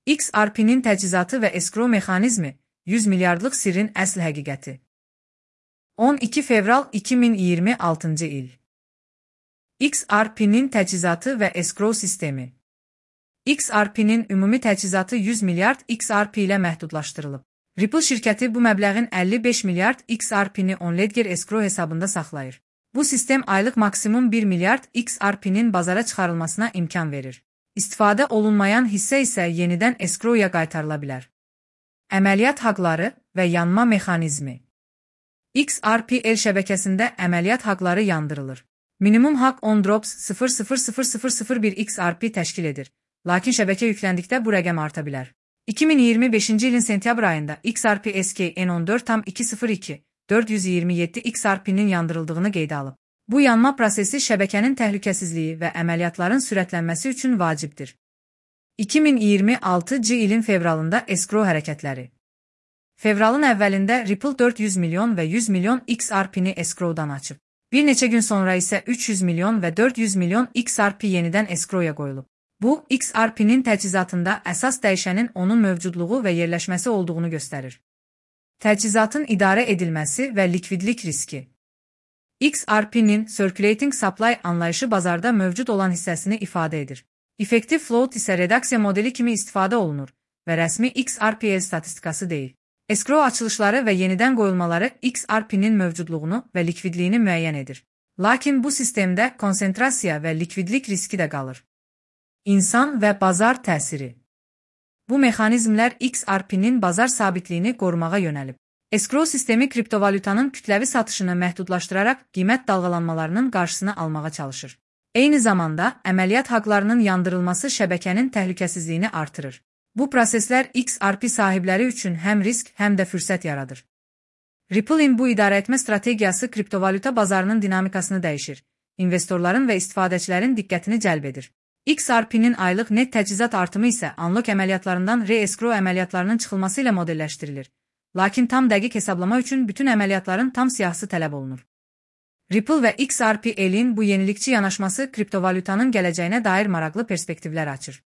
XRP'nin təchizatı və escrow mexanizmi, 100 milyardlıq sirrin əsl həqiqəti. 12 fevral 2026 il. XRP'nin təchizatı və escrow sistemi. XRP'nin ümumi təchizatı 100 milyard XRP ilə məhdudlaşdırılıb. Ripple şirkəti bu məbləğin 55 milyard XRP'ni OnLedger escrow hesabında saxlayır. Bu sistem aylıq maksimum 1 milyard XRP'nin bazara çıxarılmasına imkan verir. İstifadə olunmayan hissə isə yenidən escrow-ya qaytarıla bilər. Əməliyyat haqları və yanma mexanizmi. XRP-L şəbəkəsində əməliyyat haqları yandırılır. Minimum haqq 10 drops 0.00001 XRP təşkil edir, lakin şəbəkə yüklendikdə bu rəqəm arta bilər. 2025-ci ilin sentyabr ayında XRP SKN14.202 427 XRP-nin yandırıldığını qeydə alıb. Bu yanma prosesi şəbəkənin təhlükəsizliyi və əməliyyatların sürətlənməsi üçün vacibdir. 2026-cı ilin fevralında escrow hərəkətləri. Fevralın əvvəlində Ripple 400 milyon və 100 milyon XRP-ni escrowdan açıb. Bir neçə gün sonra isə 300 milyon və 400 milyon XRP yenidən escrow-ya qoyulub. Bu, XRP-nin təchizatında əsas dəyişənin onun mövcudluğu və yerləşməsi olduğunu göstərir. Təchizatın idarə edilməsi və likvidlik riski. XRP-nin Circulating Supply anlayışı bazarda mövcud olan hissəsini ifadə edir. Effective Float isə redaksiya modeli kimi istifadə olunur və rəsmi XRP-L statistikası deyil. Escrow açılışları və yenidən qoyulmaları XRP-nin mövcudluğunu və likvidliyini müəyyən edir. Lakin bu sistemdə konsentrasiya və likvidlik riski də qalır. İnsan və bazar təsiri. Bu mexanizmlər XRP-nin bazar sabitliyini qorumağa yönəlib. Escrow sistemi kriptovalyutanın kütləvi satışını məhdudlaşdıraraq qiymət dalğalanmalarının qarşısını almağa çalışır. Eyni zamanda, əməliyyat haqlarının yandırılması şəbəkənin təhlükəsizliyini artırır. Bu proseslər XRP sahibləri üçün həm risk, həm də fürsət yaradır. Ripple'in bu idarəetmə strategiyası kriptovalyuta bazarının dinamikasını dəyişir, investorların və istifadəçilərin diqqətini cəlb edir. XRP-nin aylıq net təchizat artımı isə unlock əməliyyatlarından re-escrow əməliyyatlarının çıxılması ilə modelləşdirilir. Lakin tam dəqiq hesablama üçün bütün əməliyyatların tam siyahısı tələb olunur. Ripple və XRP-L'in bu yenilikçi yanaşması kriptovalyutanın gələcəyinə dair maraqlı perspektivlər açır.